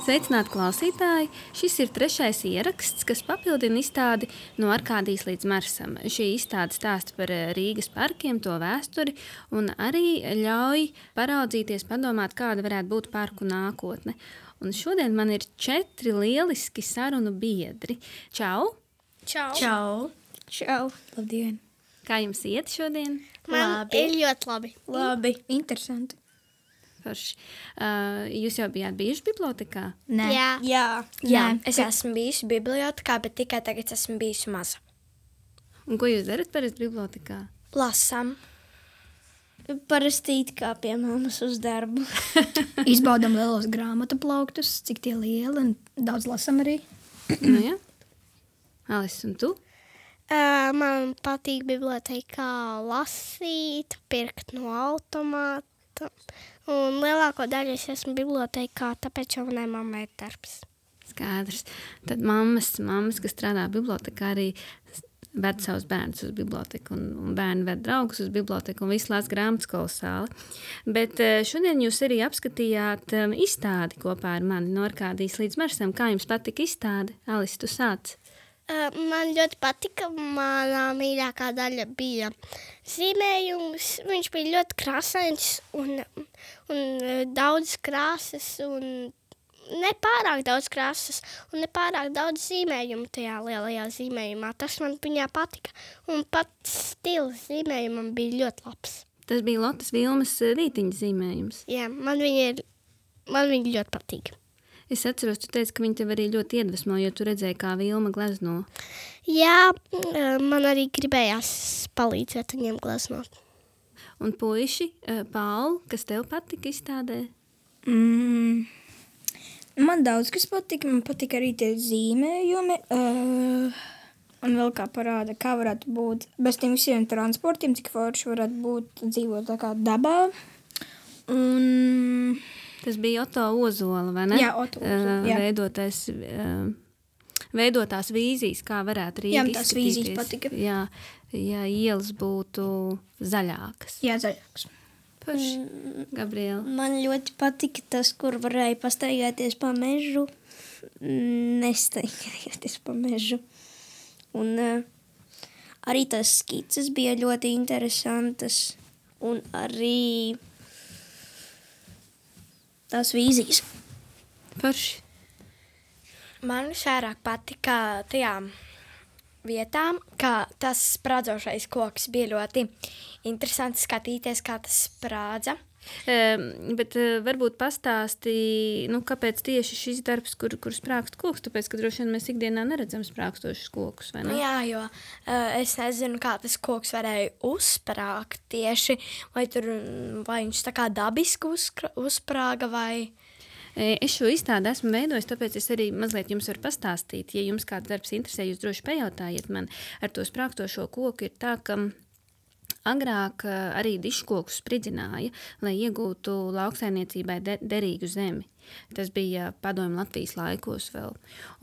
Sveicināti klausītāji! Šis ir 3. ieraksts, kas papildina izstādi No Arkādijas līdz Marsam. Šī izstāde stāsta par Rīgas parkiem, to vēsturi un arī ļauj paraudzīties, padomāt, kāda varētu būt parku nākotne. Un šodien man ir 4 lieliski sarunu biedri. Čau! Čau! Čau! Čau! Labdien! Kā jums iet šodien? Man ir ļoti labi. Labi! Interesanti! Forši. Jūs jau bijāt bijuši bibliotekā? Nē. Jā. Es esmu bijusi bibliotekā, bet tikai tagad esmu bijusi maza. Un ko jūs darat parasti bibliotekā? Lasam. Parasti it kā pie mammas uz darbu. Izbaudam lielos grāmatu plauktus, cik tie lieli, un daudz lasam arī. Nu, jā. Alis, un tu? Man patīk bibliotekā lasīt, pirkt no automāta. Un lielāko daļu es esmu bibliotekā, tāpēc jau manai mammai ir darbs. Skaidrs. Tad mammas, kas strādā bibliotekā, arī ved savus bērnus uz biblioteku, un bērni ved draugus uz biblioteku, un visu lās grāmatas kolosāli. Bet šodien jūs arī apskatījāt izstādi kopā ar mani No Arkādijas līdz Marsam. Kā jums patika izstāde? Alis, tu sāc. Man ļoti patika, manā mīļākā daļa bija zīmējums. Viņš bija ļoti krāsains un daudz krāsas un nepārāk daudz krāsas un nepārāk daudz zīmējumu tajā lielajā zīmējumā. Tas man viņā patika un pat stils zīmējumam bija ļoti labs. Tas bija Lotas Vilmas rītiņa zīmējums. Jā, man viņa ļoti patīk. Es atceros, tu teici, ka viņi tev arī ļoti iedvesmo, jo tu redzēji, kā Vilma glezno. Jā, man arī gribējās palīdzēt viņiem gleznot. Un puiši, Paul, kas tev patika izstādē? Man daudz kas patika. Man patika arī tie zīmējumi. Un vēl kā parāda, kā varētu būt bez tiem visiem transportiem, cik forši varētu būt dzīvot tā kā dabā. Un... Tas bija Oto Ozola, vai ne? Jā, Oto Ozola, veidotās vīzijas, kā varētu Rīga izskatīties. Jā, tās vīzijas patika. Ja ielas būtu zaļākas. Jā, zaļākas. Paši, Gabriela. Man ļoti patika tas, kur varēja pastaigāties pa mežu, nestaigāties pa mežu. Un arī tās skices bija ļoti interesantas un arī... tās vīzijas. Forši. Man vairāk patika tajām vietām, kā tas sprādzošais koks bija ļoti interesanti skatīties, kā tas sprādza. Bet varbūt pastāsti, kāpēc tieši šis darbs, kur sprākst koks, tāpēc, ka droši vien mēs ikdienā neredzam sprākstošus kokus, vai ne? Jā, jo es nezinu, kā tas koks varēja uzsprāgt tieši, vai viņš tā kā dabiski uzsprāga, vai... Es šo izstādi esmu veidojis, tāpēc es arī mazliet jums varu pastāstīt. Ja jums kāds darbs interesē, jūs droši pajautājiet man. Ar to sprākstošo koku ir tā, ka agrāk arī diškokus spridzināja, lai iegūtu lauksaimniecībai derīgu zemi. Tas bija padomju Latvijas laikos vēl.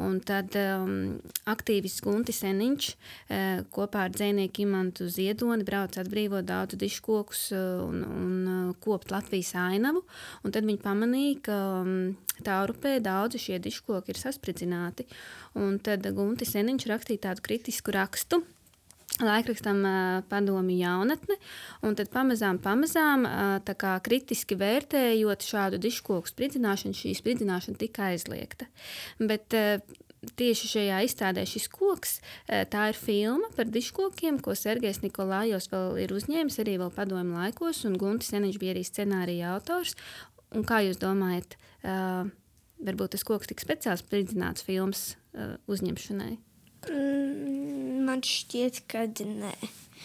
Un tad aktīvists Guntis Seniņš kopā ar dzejnieku Imantu Ziedoni brauc atbrīvot daudz diškokus un kopt Latvijas ainavu. Un tad viņi pamanīja, ka Taurupē daudzi šie diškoki ir saspridzināti. Un tad Guntis Seniņš rakstīja tādu kritisku rakstu laikrakstam Padomju jaunatne, un tad pamazām tā kā kritiski vērtējot šādu diškoku spridzināšanu, šī spridzināšana tika aizliegta. Bet tieši šajā izstādē šis koks, tā ir filma par diškokiem, ko Sergejs Nikolājos vēl ir uzņēmis arī vēl padomju laikos, un Guntis Seniņš bija arī scenārija autors. Un kā jūs domājat, varbūt tas koks tika speciāli spridzināts filmas uzņemšanai? Man šķiet, ka nē.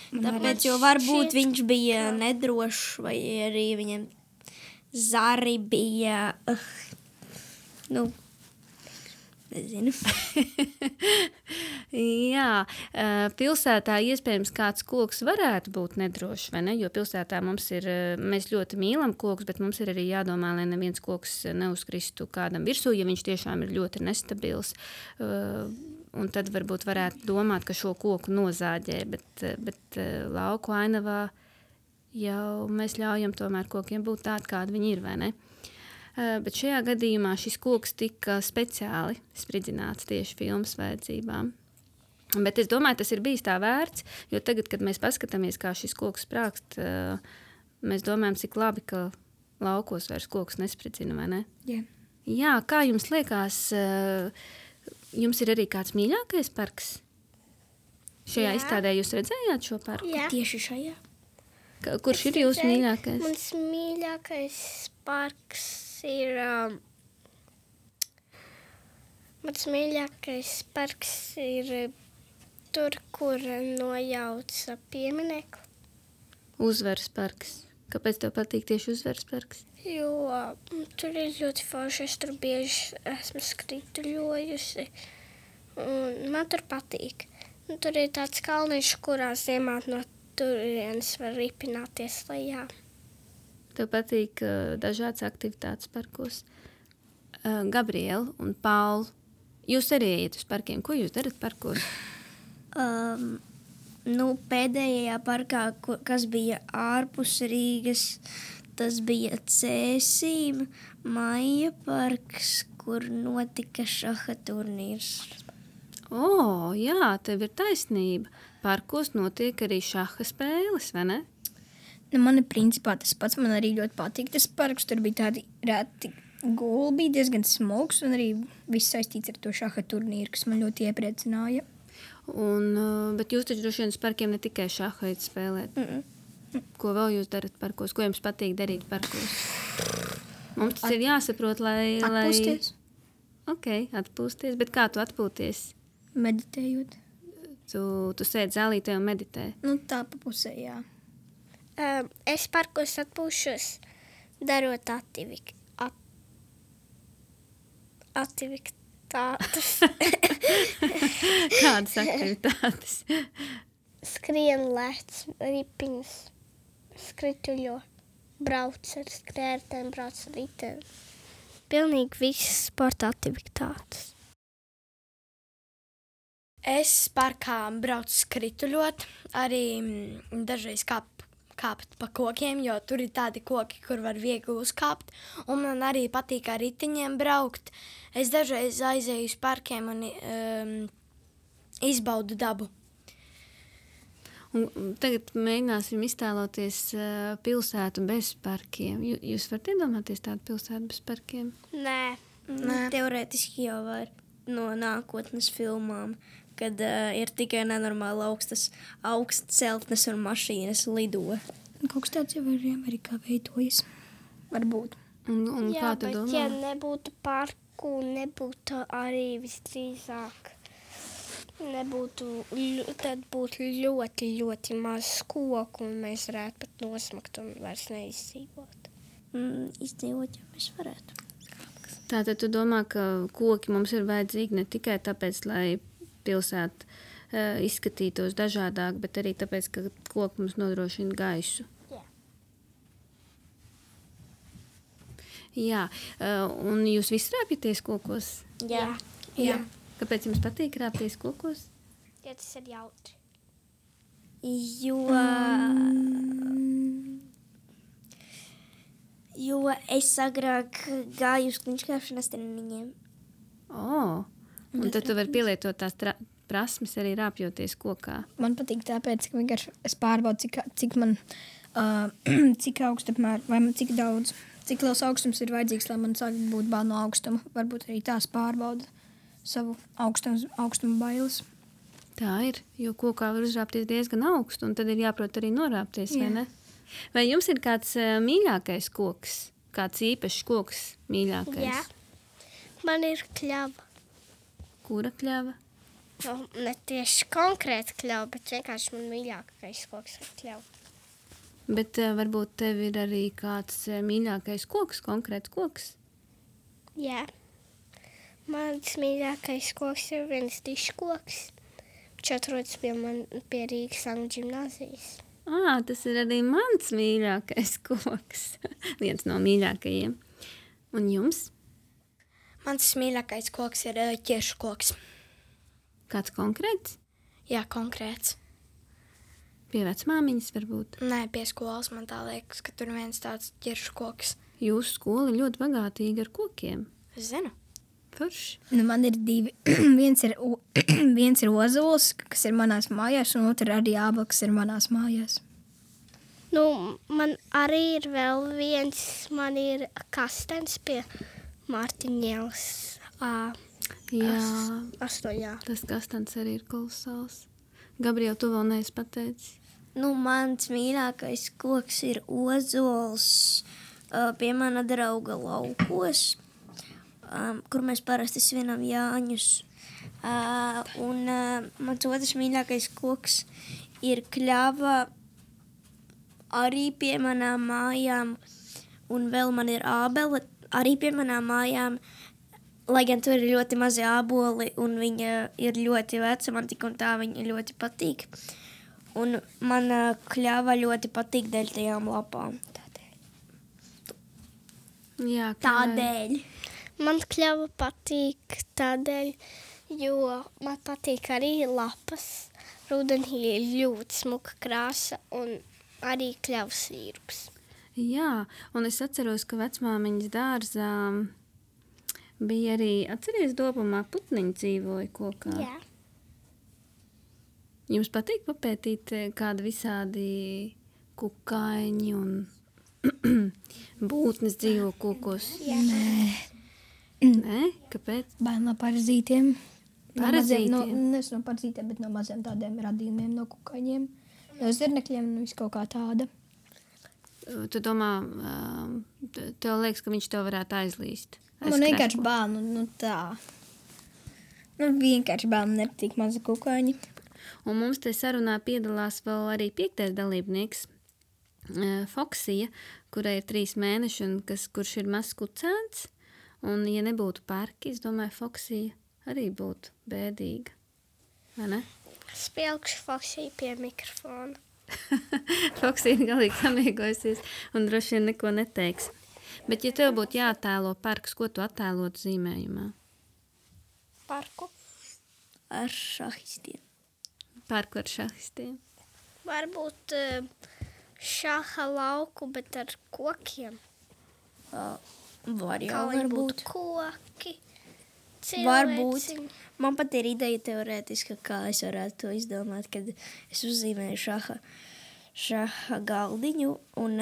Tāpēc, jo varbūt viņš bija nedrošs, vai arī viņam zari bija, nezinu. Jā, pilsētā iespējams kāds koks varētu būt nedrošs, vai ne? Jo pilsētā mēs ļoti mīlam kokus, bet mums ir arī jādomā, lai neviens koks neuzkristu kādam virsū, ja viņš tiešām ir ļoti nestabils. Un tad varbūt varētu domāt, ka šo koku nozāģē, bet lauku ainavā jau mēs ļaujam tomēr kokiem būt tādi, kādi viņi ir, vai ne? Bet šajā gadījumā šis koks tika speciāli spridzināts tieši filmas vajadzībām. Bet es domāju, tas ir bijis tā vērts, jo tagad, kad mēs paskatāmies, kā šis koks sprākst, mēs domājam, cik labi, ka laukos vairs koks nespridzina, vai ne? Jā. Jā, kā jums liekas, jums ir arī kāds mīļākais parks? Šajā izstādē jūs redzējāt šo parku? Jā. Tieši šajā. Kurš ir jūsu mīļākais? Mans mīļākais parks ir... Mans mīļākais parks ir tur, kur nojauca pieminekli. Uzvaras parks. Kāpēc tev patīk tieši Uzvaras parks? Jo tur ir ļoti forši, es tur bieži esmu skrituļojusi. Un man tur patīk. Un tur ir tāds kalniņš, kurā ziemā no turienes var ripināties lejā. Tev patīk dažādas aktivitātes parkos. Gabriela un Paula, jūs arī ejat uz parkiem. Ko jūs darat parkos? Pēdējā parkā, kas bija ārpus Rīgas, tas bija Cēsīm, Maija parks, kur notika šaha turnīrs. Jā, tev ir taisnība. Parkos notiek arī šaha spēles, vai ne? Man ir principā tas pats, man arī ļoti patīk tas parks, tur bija tādi reti gulbi, diezgan smogs, un arī viss saistīts ar to šaha turnīru, kas man ļoti iepriecināja. Bet jūs taču droši vien uz parkiem ne tikai šaha ejat spēlēt. Ko vēl jūs darat parkos? Ko jums patīk darīt parkos? Mums tas ir jāsaprot, lai... Atpūsties. Ok, atpūsties. Bet kā tu atpūties? Meditējot. Tu sēdi zālītē un meditē. Tā pa pusē, jā. Es parkos atpūšos, darot aktivitātes. Kādas aktivitātes? Skrien, lēc, ripiņas, skrituļo, brauc ar skrērtēm, brauc ar ritēm. Pilnīgi visas sporta aktivitātes. Es parkā braucu skrituļot, arī dažreiz kāpt pa kokiem, jo tur ir tādi koki, kur var viegli uzkāpt, un man arī patīk ar ritiņiem braukt. Es dažreiz aizēju uz parkiem un izbaudu dabu. Un tagad mēģināsim iztēloties pilsētu bez parkiem. Jūs varat iedomāties tādu pilsētu bez parkiem? Nē. Teorētiski jau var no nākotnes filmām, kad ir tikai nenormāli augstas celtnes un mašīnas lido. Kaut kas tāds jau arī Amerikā veidojas. Varbūt. Un kā tu domā? Ja nebūtu parku, nebūtu arī visdrīzāk. Tad būtu ļoti, ļoti maz koku, un mēs varētu pat nosmakt un vairs neizdzīvot. Izdzīvot, ja mēs varētu. Tātad tu domā, ka koki mums ir vajadzīgi ne tikai tāpēc, lai pilsēta izskatītos dažādāk, bet arī tāpēc, ka koki mums nodrošina gaisu. Jā. Un jūs visi rāpjaties kokos? Jā. Kāpēc jums patīk rāpties kokos? Ja tas ir jautri. Jo es agrāk gāju uz kliņškāpšanas treniņiem. Un tad tu vari pielietot tās prasmes arī rāpjoties kokā. Man patīk tāpēc, ka vienkārši es pārbaudu, cik man, cik augstu apmēr, vai man cik daudz, cik liels augstums ir vajadzīgs, lai man sāk būt bail no augstuma. Varbūt arī tās pārbauda savu augstumu bailes. Tā ir, jo kokā var uzrāpties diezgan augstu, un tad ir jāprot arī norāpties, vai ne? Vai jums ir kāds mīļākais koks? Kāds īpašs koks mīļākais? Jā. Man ir kļava. Kura kļava? Ne tieši konkrēti kļava, bet vienkārši man mīļākais koks ir kļava. Bet varbūt tev ir arī kāds mīļākais koks, konkrēts koks? Jā. Mans mīļākais koks ir viens diškoks, viņš atrodas pie Rīgas Angļu ģimnāzijas. Tas ir arī mans mīļākais koks. Viens no mīļākajiem. Un jums? Mans mīļākais koks ir ķiršu koks. Kāds konkrēts? Jā, konkrēts. Pie vecmāmiņas varbūt? Nē, pie skolas man tā liekas, ka tur viens tāds ķiršu koks. jūsu skola ir ļoti bagātīga ar kokiem. Es zinu. Forši. Nu, man ir divi. viens ir ozols, kas ir manās mājās, un otrs arī ābels, kas ir manās mājās. Nu, man arī ir vēl viens, man ir kastens pie Mārtiņielas. Jā, 8. tas kastants arī ir kolosāls. Gabriela, tu vēl neesi pateicis. Nu, mans mīļākais koks ir ozols pie mana drauga laukos, kur mēs parasti svinam Jāņus. Un mans otrs mīļākais koks ir kļava arī pie manām mājām, un vēl man ir ābele arī pie manām mājām, lai gan tur ir ļoti mazi āboli, un viņa ir ļoti veca, man tik un tā viņa ļoti patīk. Un man kļava ļoti patīk dēļ tajām lapām. Jā, Tādēļ. Man kļava patīk tādēļ, jo man patīk arī lapas. Rudenī ir ļoti smuka krāsa un arī kļavas sīrups. Jā, un es atceros, ka vecmāmiņas dārzā bija arī, atceries, Dobumā putniņi dzīvoja kokā. Jā. Jums patīk papētīt kādi visādi kukaiņi un būtnes dzīvo kokos? Nē, kāpēc? Bail no parazītiem. Parazītiem? Nevis no parazītiem, bet no maziem tādiem radījumiem, no kukaiņiem. No zirnekļiem, nu viss kaut kā tāda. Tu domā, tev liekas, ka viņš tev varētu aizlīst? Man vienkārši bail, nu tā. Nu vienkārši bail, man nepatīk maza kukaiņi. Un mums te sarunā piedalās vēl arī 5. dalībnieks, Foksija, kurai ir 3 mēneši un kurš ir mazs kucēns. Un, ja nebūtu parki, es domāju, Foksija arī būtu bēdīga. Vai ne? Spēlkšu Foksiju pie mikrofona. Foksija ir galīgi samiegojusies un droši vien neko neteiks. Bet, ja tev būtu jāattēlo parks, ko tu attēlotu zīmējumā? Parku. Ar šahistiem. Parku ar šahistiem. Varbūt šaha lauku, bet ar kokiem. Var jau, Kā lai varbūt. būtu koki. Varbūt. cilvēciņi. Man pat ir ideja teorētiski, kā es varētu to izdomāt, kad es uzzīmēju šaha galdiņu un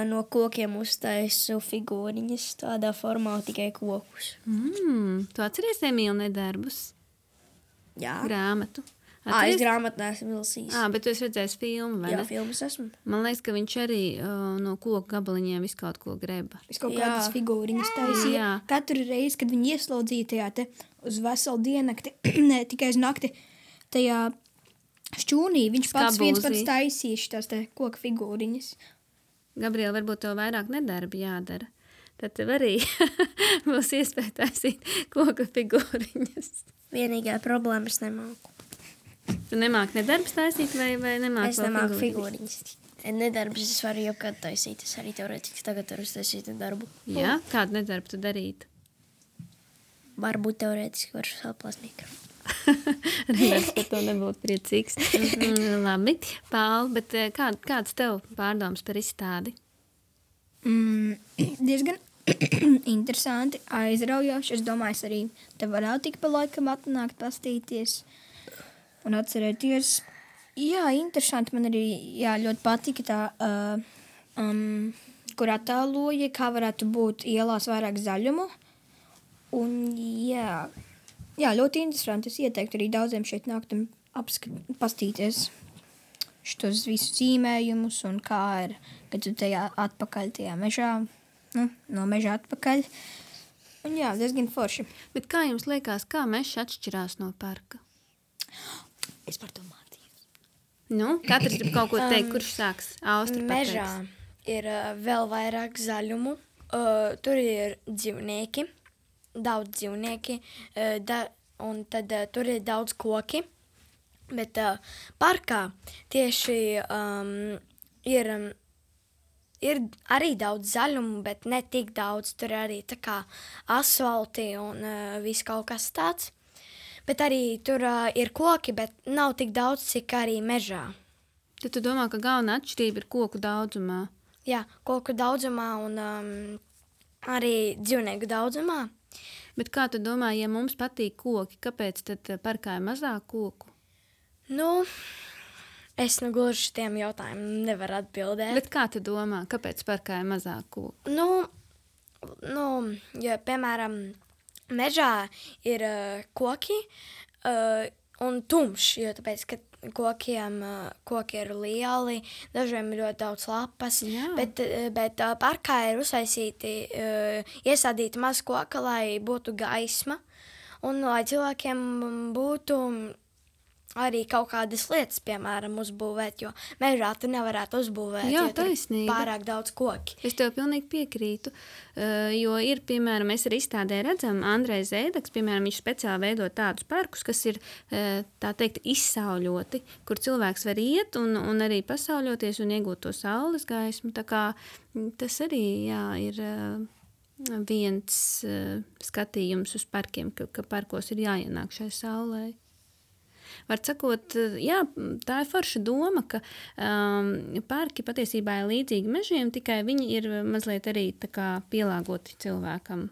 no kokiem uztaisu figūriņas tādā formā, tikai kokus. Tu atceries Emīlu nedarbus? Jā. Grāmatu. Es grāmatu neesmu vilsījis. Bet tu esi redzējis filmu, vai Jā, ne? filmas esmu. Man liekas, ka viņš arī no koku gabaliņiem visu kaut ko greba. Es kaut Jā. kādas figūriņas taisīju. Jā. Katru reizi, kad viņi ieslodzīja tajā te uz veselu diennakti, ne tikai uz nakti, tajā šķūnī, viņš pats viens Skabūzī. pats taisīja šitās te koka figūriņas. Gabriela, varbūt tev vairāk nedarbi jādara. Tad tev arī būs iespēja taisīt koka figūriņas. Vienīgā problēma es nemāku. Tu nemāki nedarbs taisīt vai nemāki Es vēl nemāku figūriņas. Nedarbs es varu jau kad taisīt. Es arī teorētiski tagad varu taisīt darbu. Jā, kādu nedarbu tu darītu? Varbūt teorētiski varu saplāst mikrofonu. Redz, ka tu nebūtu priecīgs. Labi, Paul, bet kāds tev pārdoms par izstādi? Diezgan interesanti, aizraujoši. Es domāju, es arī te varētu tik pa laikam atnākt, pastīties un atcerēties. Jā, interesanti. Man arī ļoti patika tā, kur attēloja, kā varētu būt ielās vairāk zaļumu. Un jā, ļoti interesanti. Es ieteiktu arī daudziem šeit nākt un pastīties šitos visus zīmējumus un kā ir, kad tu tajā atpakaļ tajā mežā, no meža atpakaļ. Un jā, diezgan forši. Bet kā jums liekas, kā mežs atšķirās no parka? Es par to mācījos. Nu, katrs grib kaut ko teikt, kurš sāks? Austra Mežā pateiks. ir vēl vairāk zaļumu. Tur ir dzīvnieki, daudz dzīvnieki, un tad tur ir daudz koki. Bet parkā tieši ir arī daudz zaļumu, bet ne tik daudz. Tur arī tā kā asfalti un viss kaut kas tāds. Bet arī tur ir koki, bet nav tik daudz, cik arī mežā. Tad tu domā, ka galvenā atšķirība ir koku daudzumā? Jā, koku daudzumā un arī dzīvnieku daudzumā. Bet kā tu domā, ja mums patīk koki, kāpēc tad parkā ir mazāk koku? Nu, es gluži šitiem jautājumiem nevaru atbildēt. Bet kā tu domā, kāpēc parkā ir mazāk koku? Ja, piemēram, mežā ir koki un tumšs, jo tāpēc, ka koki ir lieli, dažiem ir ļoti daudz lapas, bet parkā ir iesādīti maz koka, lai būtu gaisma un lai cilvēkiem būtu arī kaut kādas lietas, piemēram, uzbūvēt, jo mežā tu nevarētu uzbūvēt, jo tur ir pārāk daudz koki. Es tev pilnīgi piekrītu, jo ir, piemēram, mēs arī izstādē redzam, Andrejs Zēdaks, piemēram, viņš speciāli veido tādus parkus, kas ir, tā teikt, izsauļoti, kur cilvēks var iet un arī pasauļoties un iegūt to saules gaismu, tā kā tas arī, ir viens skatījums uz parkiem, ka parkos ir jāienāk šai saulē. Var sakot, jā, tā ir forša doma, ka parki patiesībā ir līdzīgi mežiem, tikai viņi ir mazliet arī tā kā pielāgoti cilvēkam,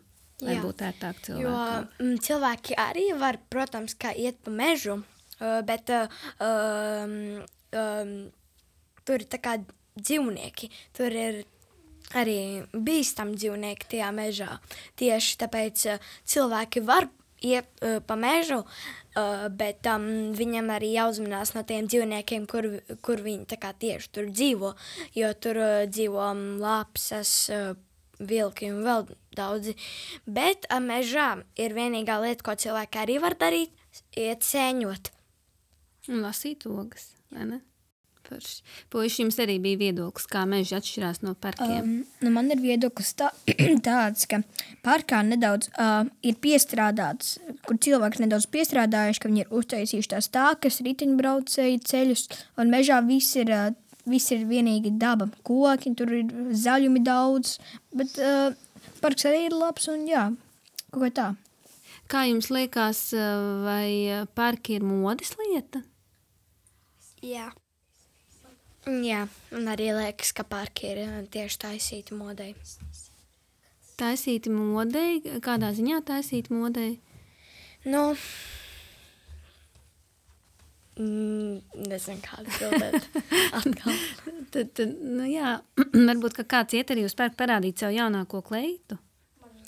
lai būtu ērtāk cilvēkam. Jo cilvēki arī var, protams, kā iet pa mežu, bet tur ir tā kā dzīvnieki, tur ir arī bīstami dzīvnieki tajā mežā. Tieši tāpēc cilvēki var iet pa mežu, bet viņam arī jāuzmanās no tiem dzīvniekiem, kur viņi tā kā tieši tur dzīvo, jo tur dzīvo lapsas, vilki un vēl daudzi. Bet mežā ir vienīgā lieta, ko cilvēki arī var darīt, iet sēņot. Un lasīt ogas, vai ne? Puiši, jums arī bija viedoklis, kā meži atšķirās no parkiem? Man ir viedoklis tāds, ka parkā nedaudz ir piestrādāts, kur cilvēks nedaudz piestrādājuši, ka viņi ir uztaisījuši tās tākas, riteņbraucēju ceļus, un mežā viss ir vienīgi daba, koki, tur ir zaļumi daudz, bet parks arī ir labs un jā, kaut kā tā. Kā jums liekas, vai parki ir modes lieta? Jā. Jā, un arī liekas, ka parki ir tieši taisīti modei. Taisīti modei? Kādā ziņā taisīti modei? Nezinu, kā atbildēt atkal. Tad, jā, varbūt, ka kāds iet arī uz parku parādīt savu jaunāko kleitu?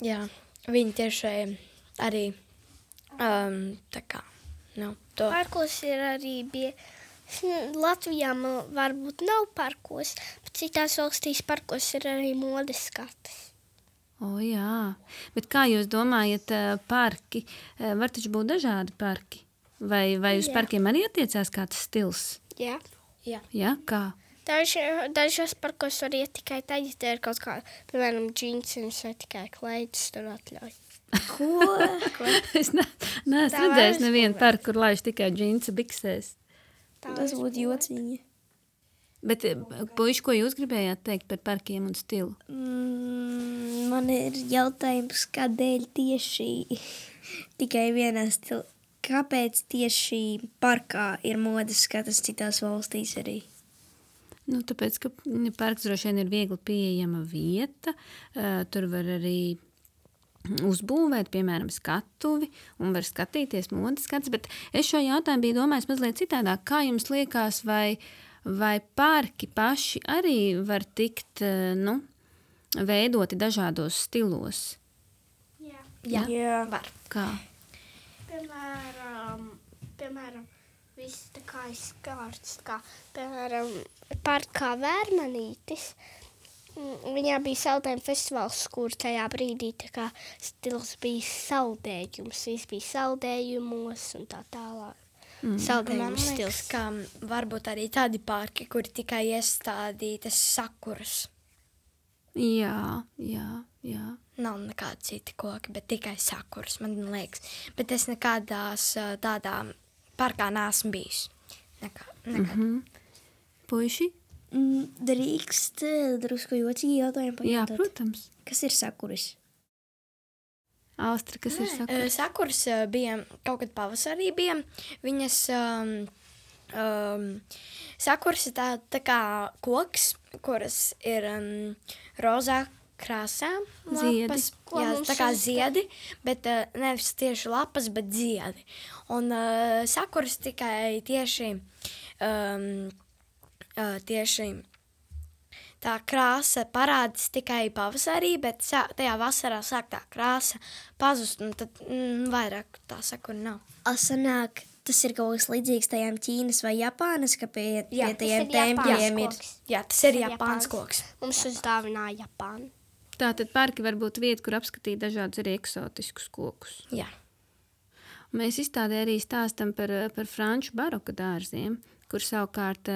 Jā, viņi tieši arī tā kā, to. Parkos ir arī Latvijā varbūt nav parkos, bet citās valstīs parkos ir arī modes skates. Jā, bet kā jūs domājat, parki, var taču būt dažādi parki? Vai uz parkiem arī attiecās kāds stils? Jā. Jā, kā? Dažos parkos var iet tikai tad, ja te ir kaut kā, piemēram, džinsiņas vai tikai kleitas tur atļauj. Ko? Es neesmu redzējis nevienu parku, kur laiž tikai džinsa biksēs. Tas būtu jocīgi. Bet, puiši, ko jūs gribējāt teikt par parkiem un stilu? Man ir jautājums, kādēļ tieši tikai vienā stila? Kāpēc tieši parkā ir modes skatas citās valstīs arī? Tāpēc, ka parks droši vien ir viegli pieejama vieta, tur var arī uzbūvēt, piemēram, skatuvi un var skatīties modes skatus, bet es šo jautājumu biju domājis mazliet citādāk. Kā jums liekas, vai parki paši arī var tikt, veidoti dažādos stilos? Jā, var. Kā? Piemēram, viss tā kā izkārts, piemēram, parkā Vērmanītis. Viņā bija saldējuma festivāls, kur tajā brīdī tā kā stils bija saldējums. Viss bija saldējumos un tā tālāk. Saldējums stils. Man liekas, ka varbūt arī tādi parki, kuri tikai iestādītas sakuras. Jā. Nav nekādi citi koki, bet tikai sakuras, man liekas. Bet es nekādās tādā parkā neesmu bijis. Nekad. Puiši? Drīkst drusku jocīgi jautājumu pajautāt. Jā, protams. Kas ir sakuris? Austra, kas ir sakuris? Sakuras bija, kaut kad pavasarī bija, viņas Sakurs ir tā kā koks, kuras ir rozā krāsā. Ziedi. Lapas, jā, tā kā ziedi, bet nevis tieši lapas, bet ziedi. Un sakurs tikai tieši tā krāsa parādās tikai pavasarī, bet tajā vasarā sāk tā krāsa pazust, un tad vairāk tā sakura nav. Sanāk, tas ir kaut kas līdzīgs tajām Ķīnas vai Japānas, ka pie Jā, tajiem tas ir tempļiem ir. Japāns koks. Jā, tas ir Japāns koks. Mums uzdāvināja Japānu. Tātad parki var būt vieta, kur apskatīt dažādus arī eksotiskus kokus. Jā. Mēs izstādē arī stāstam par franču baroka dārziem, kur savukārt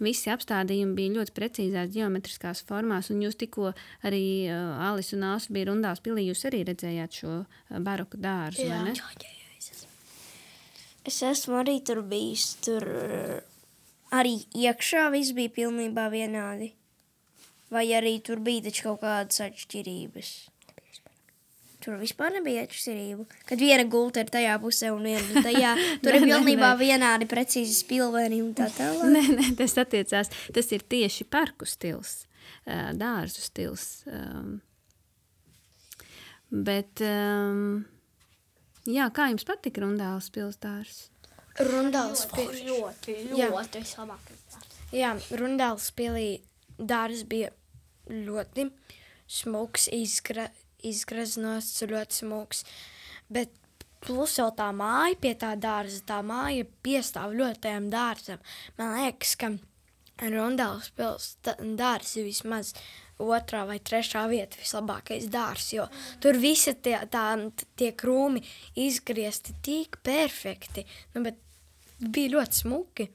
visi apstādījumi bija ļoti precīzās ģeometriskās formās, un jūs tikko arī Alis un Āsu bija Rundāls pilī, jūs arī redzējāt šo baroka dārzu, vai ne? Es esmu arī tur bijis, tur arī iekšā viss bija pilnībā vienādi. Vai arī tur bija taču kaut kādas atšķirības? Tur vispār nebija atšķirību. Kad viena gulta ir tajā pusē un viena tajā, tur ir pilnībā vienādi precīzi spilveni un tā tālāk. Nē, tas attiecās, tas ir tieši parku stils, dārzu stils. Bet, jā, kā jums patika Rundāls pilsdārs? Rundāls pilī. Ļoti vislabākais. Jā, Rundāls pilī dārs bija ļoti smuks, izgraznots, ļoti smuks, bet plus vēl tā māja pie tā dārza, tā māja piestāv ļoti tajam dārzam. Man liekas, ka Rundāls pils dārs ir vismaz 2. vai 3. vieta vislabākais dārs, jo tur visi tie krūmi izgriezti tik perfekti, bet bija ļoti smuki.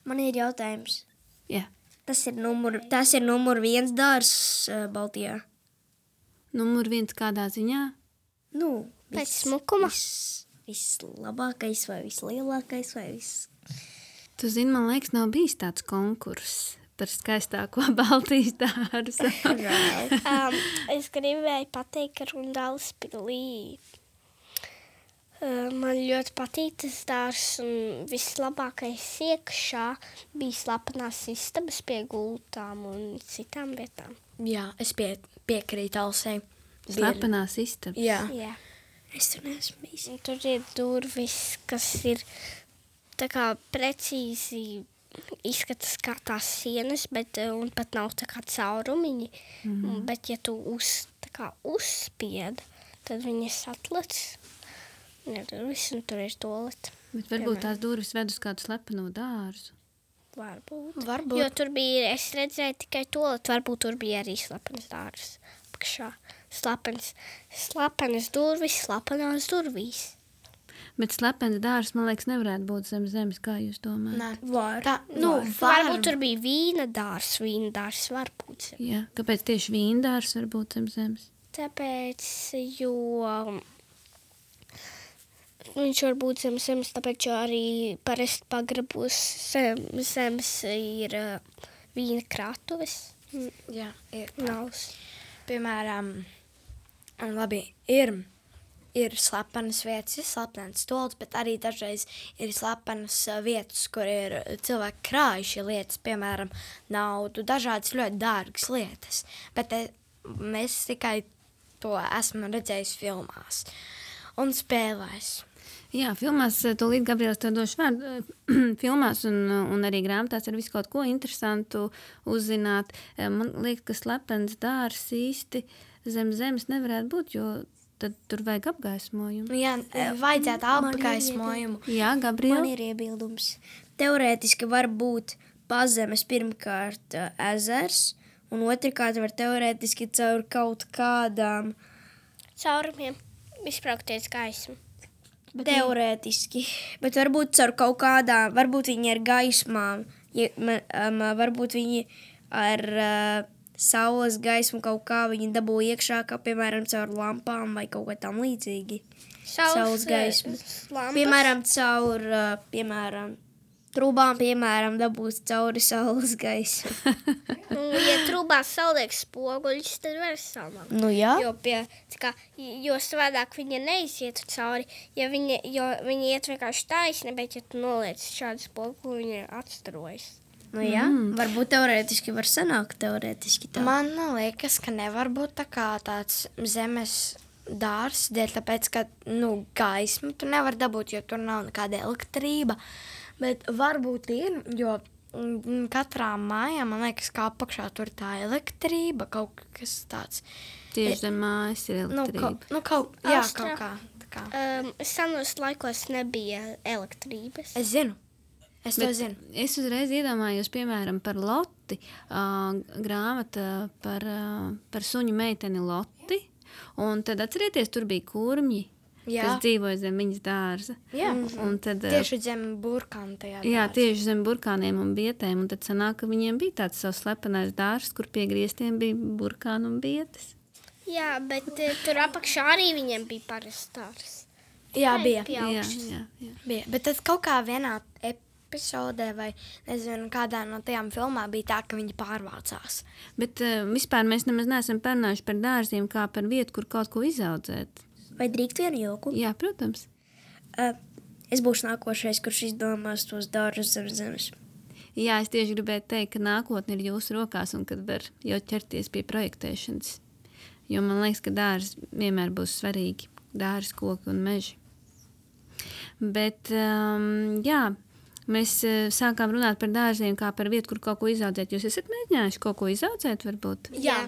Man ir jautājums. Jā. Tas ir numur 1 dārs Baltijā. Numur 1 kādā ziņā? Nu, Pēc smukuma? Vislabākais vai vislielākais vai viss. Tu zini, man liekas, nav bijis tāds konkurss par skaistāko Baltijas dārzu. Es gribēju pateikt, ka Rundāls pilī man ļoti patīk tas dārs, un vislabākais iekšā bija slepenās istabas pie gultām un citām vietām. Jā, es piekrītu Alsei. Slepenās istabas. Jā. Jā. Es tur neesmu bijis. Un tur ir durvis, kas ir tā kā precīzi izskatās kā tās sienas, bet un pat nav tā kā caurumiņi. Bet ja tu uzspied, tad viņas atlec. Ir durvis, un tur ir toalete. Bet varbūt tās durvis ved uz kādu slepeno dārzu. Varbūt. Jo tur bija, es redzēju tikai toaleti, varbūt tur bija arī slepens dārs. Pakšā. Slepenas durvis, slepenās durvīs. Bet slepens dārs, man liekas, nevarētu būt zem zemes, kā jūs domājat? Nē. Var. Varbūt tur bija vīna dārs var būt. Jā, kāpēc tieši vīndārs var būt zem zemes? Tāpēc, jo viņš var būt zem zemes, tāpēc, jo arī parasti pagrabos zemes ir vīna krātuves. Jā, ir. Navs. Piemēram, labi, ir slepenas vietas, ir slepenas toaletes, bet arī dažreiz ir slepenas vietas, kur ir cilvēki krājuši lietas, piemēram, naudu, dažādas ļoti dārgas lietas. Bet mēs tikai to esmu redzējis filmās un spēlēs. Jā, filmās, tūlīt Gabriels tev došu vārdu, filmās un arī grāmatās ir visu kaut ko interesantu uzzināt. Man liekas, ka slepens dārs īsti zem zemes nevarētu būt, jo tad tur vajag apgaismojumu. Jā, vajadzētu apgaismojumu. Jā, Gabriel? Man ir iebildums. Teorētiski var būt pazemes pirmkārt ezers, un otrkārt var teorētiski caur kaut kādām Caurumiem izpraukties gaismu. teorētiski, bet varbūt caur kaut kādām, varbūt viņi ar gaismām, varbūt viņi ar saules gaismu kaut kā viņi dabū iekšā, kā piemēram caur lampām vai kaut kā tam līdzīgi. Saules gaismu. Lampas. Piemēram, caur, trūbām, piemēram, dabūt cauri saules gaisu. Ja trūbās saliek spoguļus, tad var salmāt. Nu jā. Jo savādāk viņa neizietu cauri, jo viņa iet vienkārši taisni, bet ja tu noliec šādu spoguļu, viņa atstarojas. Nu jā, varbūt teorētiski var sanākt teorētiski tā. Man liekas, ka nevar būt tā kā tāds zemes dārs, dēļ tāpēc, ka, gaismu tu nevar dabūt, jo tur nav nekāda elektrība. Bet varbūt ir, jo katrā mājā, man liekas, kā apakšā tur tā elektrība, kaut kas tāds. Tieši zem mājas ir elektrība. Kaut kā. Senos laikos nebija elektrības. Es zinu. Es to zinu. Es uzreiz iedomājos, piemēram, par Loti, grāmata par suņu meiteni Loti, un tad atcerieties, tur bija kurmji, kas dzīvoja zem viņas dārza. Jā, un tad, tieši zem burkāna tajā dārza. Jā, tieši zem burkāniem un bietēm, un tad sanāk, ka viņiem bija tāds savs slepenais dārs, kur pie griestiem bija burkāni un bietes. Jā, bet tur apakšā arī viņiem bija parasts dārs. Jā, bija. Jā. Bija. Bet tad kaut kā vienā epizodē vai, nezinu, kādā no tajām filmām bija tā, ka viņi pārvācās. Bet vispār mēs nemaz neesam parunājuši par dārziem kā par vietu, kur kaut ko izaudzēt. Vai drīkst vienu joku? Jā, protams. Es būšu nākošais, kurš izdomās tos dārzus zem zemes. Jā, es tieši gribēju teikt, ka nākotne ir jūsu rokās un kad var jau ķerties pie projektēšanas. Jo man liekas, ka dārzi vienmēr būs svarīgi. Dārzi, koki un meži. Bet, jā, mēs sākām runāt par dārziem kā par vietu, kur kaut ko izaudzēt. Jūs esat mēģinājuši kaut ko izaudzēt, varbūt? Jā.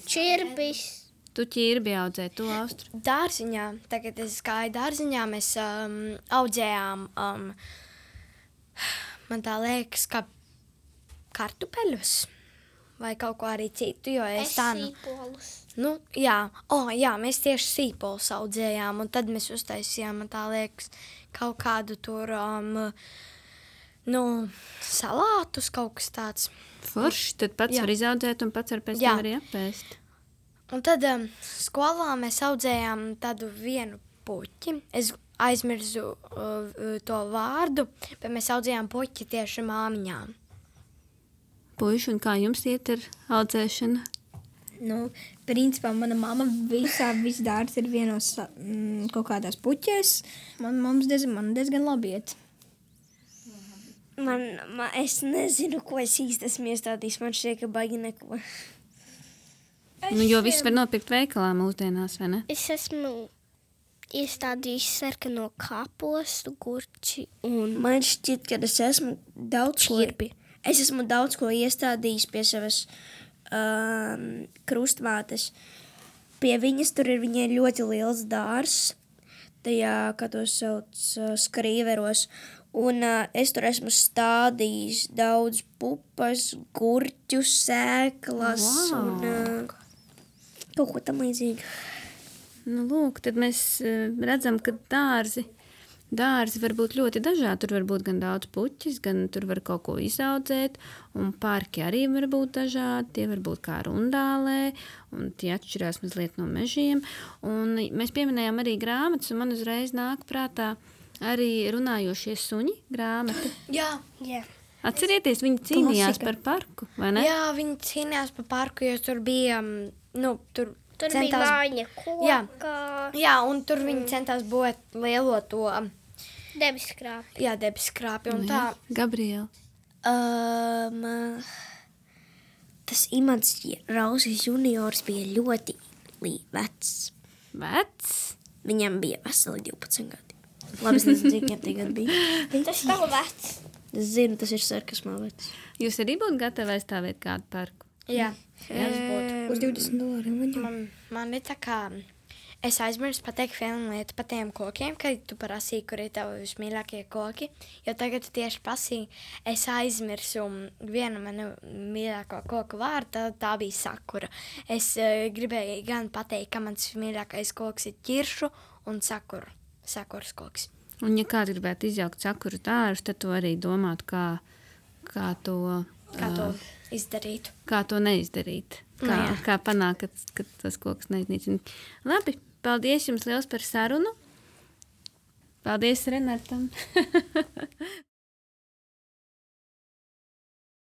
Čirbis. Tu ķirbi audzē, tu Austru. Dārziņā, tagad es gāju dārziņā, mēs audzējām, man tā liekas, ka kartupeļus vai kaut ko arī citu, jo es tā... Sīpolus. Jā, mēs tieši sīpolus audzējām, un tad mēs uztaisījām, man tā liekas, kaut kādu tur, salātus, kaut kas tāds. Forši, tad pats var izaudzēt un pats var pēc tam arī apēst. Un tad skolā mēs audzējām tādu vienu puķi. Es aizmirsu to vārdu, bet mēs audzējām puķi tieši māmiņām. Puiši, un kā jums iet ar audzēšanu? Principā mana mamma viss dārts ir vienos kaut kādās puķēs. Man diezgan labi iet. Es nezinu, ko es īsti esmu iestādījis. Man šķiet, ka baigi neko. Jo viss var nopirkt veikalā mūsdienās, vai ne? Es esmu iestādījis sarkano kāpostu, gurķi un... Man šķiet, ka es esmu daudz ko iestādījis pie savas krustvātes. Pie viņas tur ir viņai ļoti liels dārs, tajā, kā to sauc, skrīveros. Un es tur esmu stādījis daudz pupas, gurķu, sēklas un kaut ko tam līdzīgi. Lūk, tad mēs redzam, ka dārzi var būt ļoti dažādi. Tur var būt gan daudz puķis, gan tur var kaut ko izaudzēt, un parki arī var būt dažādi. Tie var būt kā rundālē, un tie atšķirās mazliet no mežiem. Un mēs pieminējām arī grāmatas, un man uzreiz nāk prātā arī runājošie suņi grāmata. Jā. Atcerieties, viņi cīnījās par parku, vai ne? Jā, viņi cīnījās par parku, jo tur bija, tur bija vāņa koka. Jā, un tur viņi centās būt lielo to... Debeskrāpi. Jā, debeskrāpi, un tā... Gabriela. Tas Imants Rausis juniors bija ļoti vecs. Vecs? Viņam bija veseli 12 gadi. Labi, es nezinu, cik tie gadi bija. Tas nav vecs. Es zinu, tas ir sarkasmā vecs. Jūs arī būtu gatavi aizstāvēt kādu parku? Jā, es būtu. Uz $20. Man ir tā kā... Es aizmirsu pateikt vienu lietu par tiem kokiem, kad tu prasīji, kur ir tavi vismīļākie koki. Jo tagad tu tieši prasīji, es aizmirsu vienu manu mīļāko koku vārdu, tā bija sakura. Es gribēju gan pateikt, ka mans mīļākais koks ir ķiršu un sakuras koks. Un ja kāds gribētu izjaukt sakuru dārzu, tad tu arī domātu, kā to izdarīt. Kā to neizdarīt. Kā panākt, ka tas koks neiznīcina. Labi, paldies jums liels par sarunu. Paldies Renatam.